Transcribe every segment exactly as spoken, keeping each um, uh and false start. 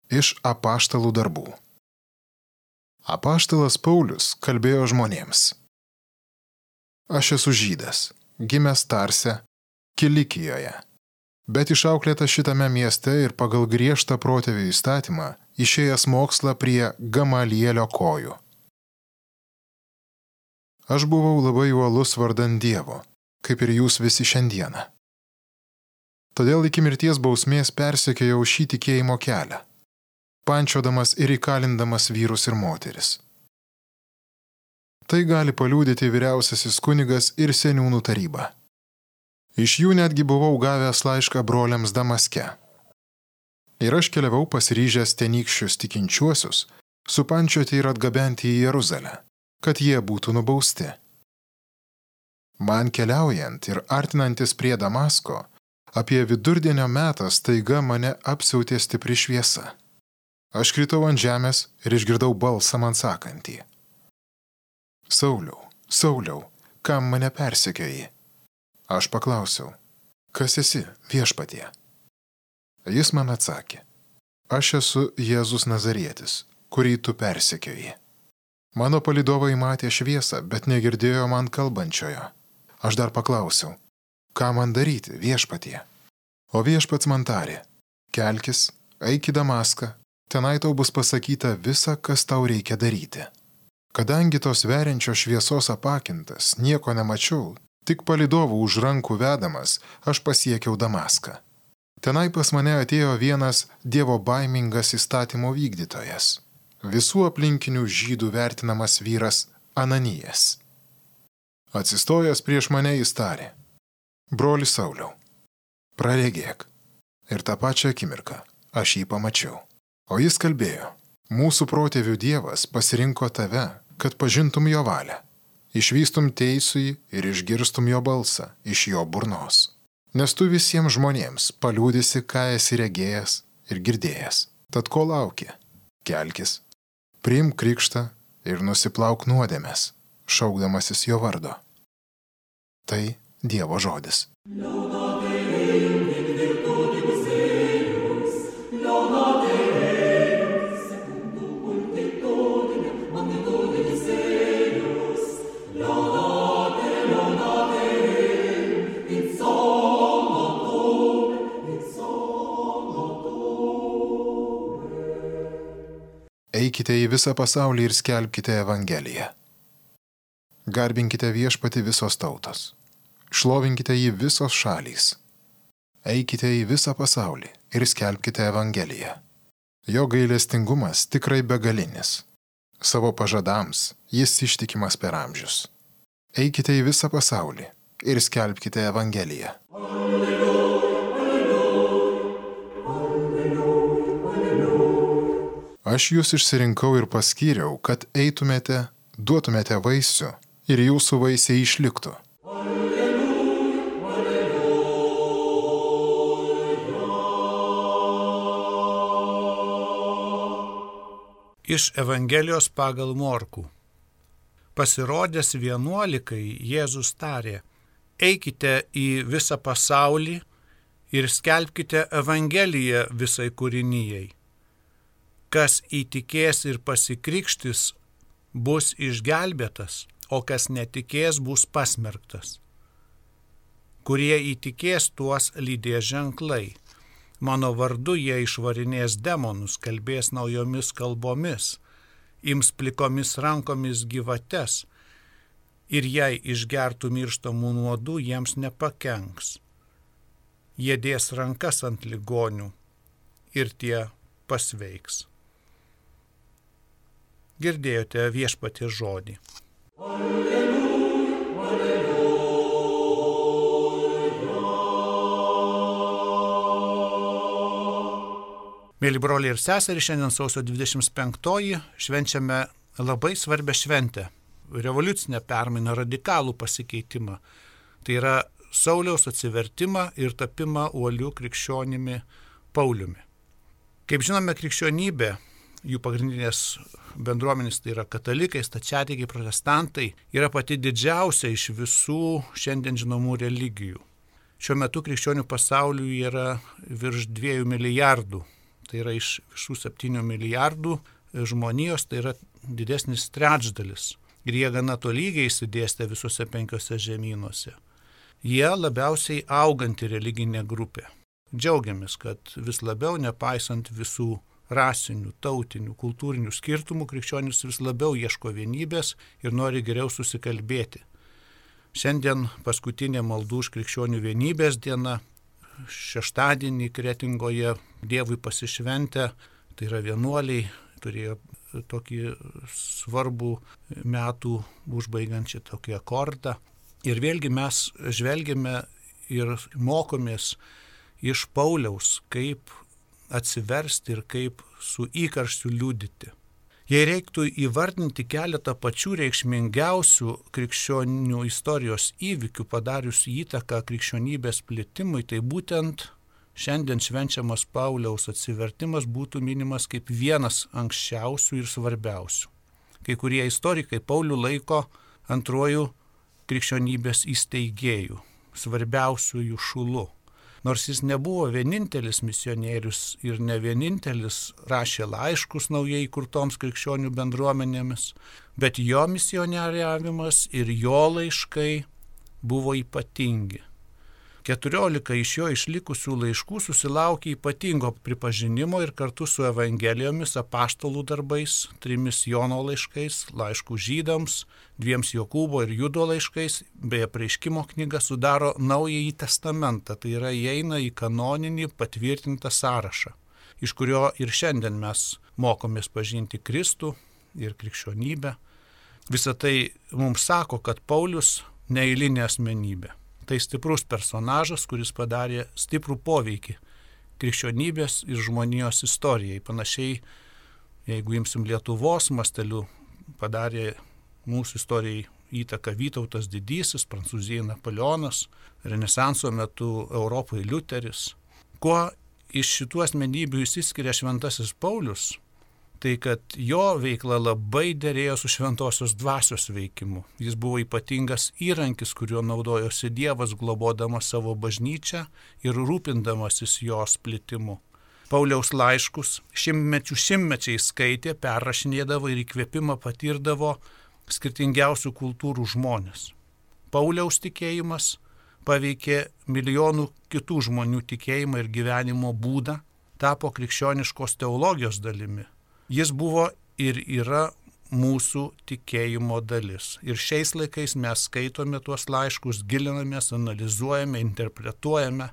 Iš apaštalų darbų. Apaštalas Paulius kalbėjo žmonėms. Aš esu žydas, gimęs Tarse, Kilikijoje, bet išauklėtas šitame mieste ir pagal griežtą protėvių įstatymą išėjęs mokslą prie Gamalielio kojų. Aš buvau labai uolus vardan Dievo, kaip ir jūs visi šiandieną. Todėl iki mirties bausmės persekiojau šį tikėjimo kelią, pančiodamas ir įkalindamas vyrus ir moteris. Tai gali paliudyti vyriausiasis kunigas ir seniūnų taryba. Iš jų netgi buvau gavęs laišką broliams Damaske. Ir aš keliavau pasiryžęs tenykščius tikinčiuosius, supančioti ir atgabenti į Jeruzalę, kad jie būtų nubausti. Man keliaujant ir artinantis prie Damasko, apie vidurdienio metą staiga mane apsiautė stipri šviesa. Aš kritau ant žemės ir išgirdau balsą man sakantį. Sauliau, Sauliau, kam mane persekioji? Aš paklausiau, kas esi, viešpatie? Jis man atsakė, aš esu Jėzus Nazarietis, kurį tu persekioji. Mano palydovai matė šviesą, bet negirdėjo man kalbančiojo. Aš dar paklausiau, ką man daryti, viešpatie? O viešpats man tarė, kelkis, eik į Damaską, tenai tau bus pasakyta visa, kas tau reikia daryti. Kadangi tos veriančios šviesos apakintas, nieko nemačiau, tik palydovų už rankų vedamas, aš pasiekiau Damaską. Tenai pas mane atėjo vienas Dievo baimingas įstatymo vykdytojas, visų aplinkinių žydų vertinamas vyras Ananijas. Atsistojęs prieš mane jis tarė, broli Sauliau, praregėk. Ir tą pačią akimirką aš jį pamačiau. O jis kalbėjo, mūsų protėvių Dievas pasirinko tave, kad pažintum jo valią, išvystum teisųjį ir išgirstum jo balsą iš jo burnos. Nes tu visiems žmonėms paliūdysi, ką esi regėjęs ir girdėjęs. Tad ko lauki? Kelkis, priimk krikštą ir nusiplauk nuodėmes, šaukdamasis jo vardo. Tai Dievo žodis. Eikite į visą pasaulį ir skelbkite Evangeliją. Garbinkite viešpatį visos tautos. Šlovinkite jį visos šalys. Eikite į visą pasaulį ir skelbkite Evangeliją. Jo gailestingumas tikrai begalinis. Savo pažadams jis ištikimas per amžius. Eikite į visą pasaulį ir skelbkite Evangeliją. Aš jūs išsirinkau ir paskyriau, kad eitumėte, duotumėte vaisių ir jūsų vaisiai išliktų. Iš Evangelijos pagal Morkų. Pasirodęs vienuolikai Jėzus tarė, eikite į visą pasaulį ir skelbkite Evangeliją visai kūrinijai. Kas įtikės ir pasikrikštys, bus išgelbėtas, o kas netikės, bus pasmerktas. Kurie įtikės, tuos lydės ženklai. Mano vardu jie išvarinės demonus, kalbės naujomis kalbomis, ims plikomis rankomis gyvates, ir jei išgertų mirštamų nuodų, jiems nepakenks. Jie dės rankas ant ligonių ir tie pasveiks. Girdėjote viešpaties žodį. Alleluja, alleluja. Mėly broliai ir seserys, šiandien sausio dvidešimt penktoji švenčiame labai svarbią šventę, revoliucinę permainą, radikalų pasikeitimą. Tai yra Sauliaus atsivertimą ir tapimą uoliu krikščionimi Pauliumi. Kaip žinome, krikščionybė, jų pagrindinės bendruomenės, tai yra katalikai, stačiatikiai, protestantai, yra pati didžiausia iš visų šiandien žinomų religijų. Šiuo metu krikščionių pasaulyje yra virš dviejų milijardų Tai yra iš visų septynių milijardų žmonijos, tai yra didesnis trečdalis. Ir jie gana tolygiai išsidėstę visose penkiose žemynuose. Jie labiausiai auganti religinė grupė. Džiaugiamės, kad vis labiau, nepaisant visų rasinių, tautinių, kultūrinių skirtumų, krikščionys vis labiau ieško vienybės ir nori geriau susikalbėti. Šiandien paskutinė maldų už krikščionių vienybės diena, šeštadienį Kretingoje Dievui pasišventę, tai yra vienuoliai, turėjo tokį svarbų metų užbaigiančią tokį akordą. Ir vėlgi mes žvelgiame ir mokomės iš Pauliaus, kaip atsiversti ir kaip su įkarščiu liudyti. Jei reiktų įvardinti keletą pačių reikšmingiausių krikščionių istorijos įvykių padariusių įtaką krikščionybės plitimui, tai būtent šiandien švenčiamas Pauliaus atsivertimas būtų minimas kaip vienas anksčiausių ir svarbiausių. Kai kurie istorikai Paulių laiko antruoju krikščionybės įsteigėjų, svarbiausiųjų šulu. Nors jis nebuvo vienintelis misionierius ir ne vienintelis rašė laiškus naujai įkurtoms krikščionių bendruomenėmis, bet jo misionieriavimas ir jo laiškai buvo ypatingi. Keturiolika iš jo išlikusių laiškų susilaukė ypatingo pripažinimo ir kartu su evangelijomis, apaštalų darbais, trimis Jono laiškais, laiškų žydams, dviems Jokūbo ir Judo laiškais, bei apreiškimo knyga sudaro Naująjį testamentą, tai yra įeina į kanoninį patvirtintą sąrašą, iš kurio ir šiandien mes mokomės pažinti Kristų ir krikščionybę. Visą tai mums sako, kad Paulius neeilinė asmenybė. Tai stiprus personažas, kuris padarė stiprų poveikį krikščionybės ir žmonijos istorijai. Panašiai, jeigu imsim Lietuvos masteliu, padarė mūsų istorijai įtaką Vytautas Didysis, Prancūzijai Napoleonas, Renesanso metu Europai Liuteris. Kuo iš šitų asmenybių išsiskiria šventasis Paulius, tai kad jo veikla labai derėjo su šventosios dvasios veikimu. Jis buvo ypatingas įrankis, kuriuo naudojosi Dievas, globodamas savo bažnyčią ir rūpindamasis jos plitimu. Pauliaus laiškus šimtmečių šimtmečiai skaitė, perrašinėdavo ir įkvėpimą patirdavo skirtingiausių kultūrų žmonės. Pauliaus tikėjimas paveikė milijonų kitų žmonių tikėjimą ir gyvenimo būdą, tapo krikščioniškos teologijos dalimi. Jis buvo ir yra mūsų tikėjimo dalis. Ir šiais laikais mes skaitome tuos laiškus, gilinamės, analizuojame, interpretuojame,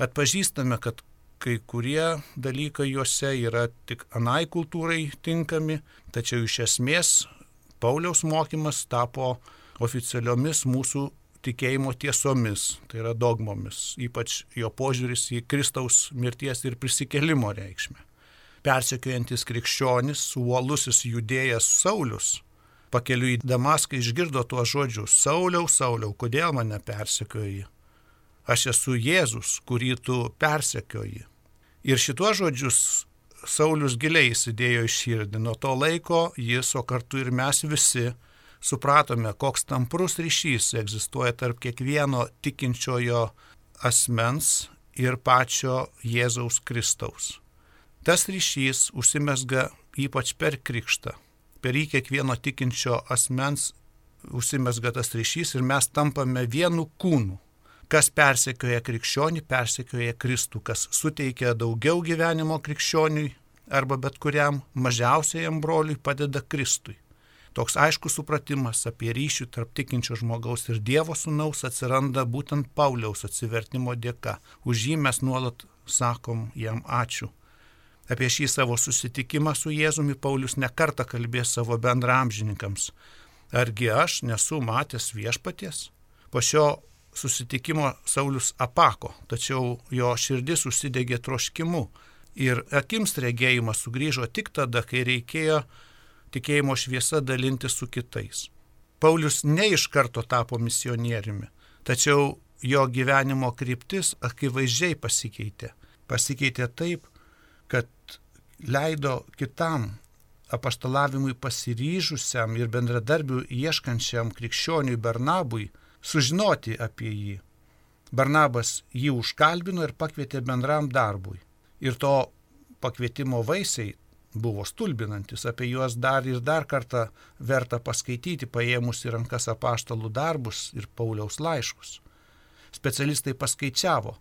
atpažįstame, kad kai kurie dalykai juose yra tik anai kultūrai tinkami, tačiau iš esmės Pauliaus mokymas tapo oficialiomis mūsų tikėjimo tiesomis, tai yra dogmomis, ypač jo požiūris į Kristaus mirties ir prisikėlimo reikšmę. Persekiojantis krikščionis, uolusis judėjas Saulius, pakeliui į Damaską išgirdo tuos žodžius: Sauliau, Sauliau, kodėl mane persekioji? Aš esu Jėzus, kurį tu persekioji. Ir šituos žodžius Saulius giliai įsidėjo į širdį. Nuo to laiko jis, o kartu ir mes visi, supratome, koks tamprus ryšys egzistuoja tarp kiekvieno tikinčiojo asmens ir pačio Jėzaus Kristaus. Tas ryšys užsimezga ypač per krikštą. Per jį kiekvieno tikinčio asmens užsimezga tas ryšys ir mes tampame vienu kūnu. Kas persekioja krikščionį, persekioja Kristų, kas suteikia daugiau gyvenimo krikščioniui arba bet kuriam mažiausiajam broliui, padeda Kristui. Toks aiškus supratimas apie ryšių tarp tikinčio žmogaus ir Dievo sūnaus atsiranda būtent Pauliaus atsivertimo dėka. Už jį mes nuolat sakom jam ačiū. Apie šį savo susitikimą su Jėzumi Paulius nekartą kalbės savo bendraamžininkams. Argi aš nesu matęs viešpaties? Po šio susitikimo Saulius apako, tačiau jo širdis užsidegė troškimu ir akims regėjimas sugrįžo tik tada, kai reikėjo tikėjimo šviesa dalinti su kitais. Paulius ne iš karto tapo misionieriumi, tačiau jo gyvenimo kryptis akivaizdžiai pasikeitė. Pasikeitė taip, kad leido kitam apaštalavimui pasiryžusiam ir bendradarbių ieškančiam krikščioniui Barnabui sužinoti apie jį. Barnabas jį užkalbino ir pakvietė bendram darbui. Ir to pakvietimo vaisiai buvo stulbinantis, apie juos dar ir dar kartą verta paskaityti, paėmus į rankas apaštalų darbus ir Pauliaus laiškus. Specialistai paskaičiavo,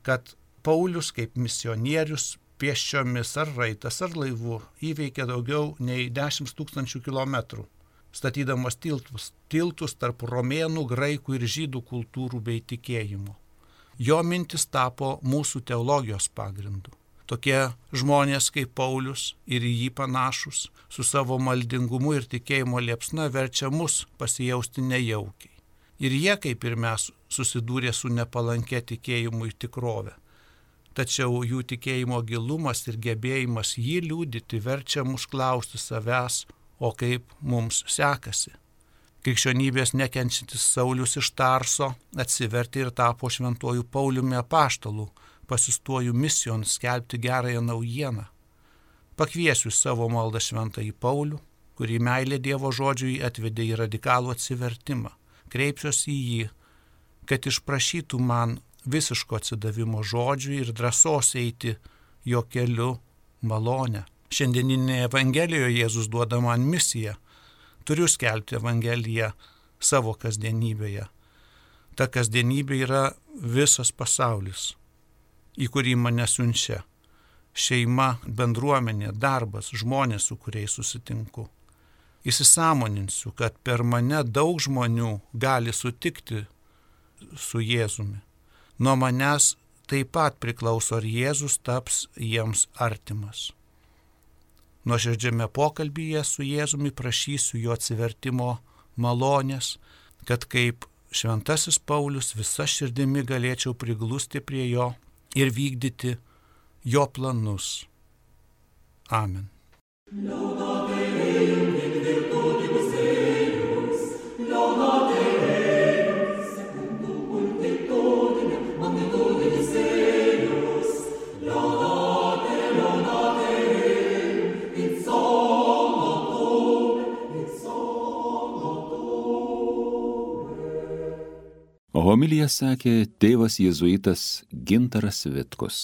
kad Paulius kaip misionierius pėsčiomis ar raitas ar laivu įveikė daugiau nei dešimt tūkstančių kilometrų, statydamas tiltus, tiltus tarp romėnų, graikų ir žydų kultūrų bei tikėjimų. Jo mintis tapo mūsų teologijos pagrindu. Tokie žmonės kaip Paulius ir į jį panašus su savo maldingumu ir tikėjimo liepsna verčia mus pasijausti nejaukiai. Ir jie, kaip ir mes, susidūrė su nepalankia tikėjimui tikrove. Tačiau jų tikėjimo gilumas ir gebėjimas jį liudyti verčia mus klausti savęs, o kaip mums sekasi. Krikščionybės nekenčiantis Saulius iš Tarso atsivertė ir tapo šventuoju Pauliumi apaštalu, pasistuoju misijon skelbti gerąją naujieną. Pakviesiu savo maldą šventąjį Paulių, kurį meilė Dievo žodžiui atvedė į radikalų atsivertimą. Kreipsiuosi į jį, kad išprašytų man visiško atsidavimo žodžiui ir drąsos eiti jo keliu malonę. Šiandieninėje Evangelijoje Jėzus duoda man misiją. Turiu skelbti Evangeliją savo kasdienybėje. Ta kasdienybė yra visas pasaulis, į kurį mane siunčia. Šeima, bendruomenė, darbas, žmonės, su kuriais susitinku. Įsisąmoninsiu, kad per mane daug žmonių gali sutikti su Jėzumi. Nuo manęs taip pat priklauso, ar Jėzus taps jiems artimas. Nuoširdžiame pokalbyje su Jėzumi prašysiu jo atsivertimo malonės, kad kaip šventasis Paulius visa širdimi galėčiau priglusti prie jo ir vykdyti jo planus. Amen. Homiliją sakė tėvas jėzuitas Gintaras Vitkus.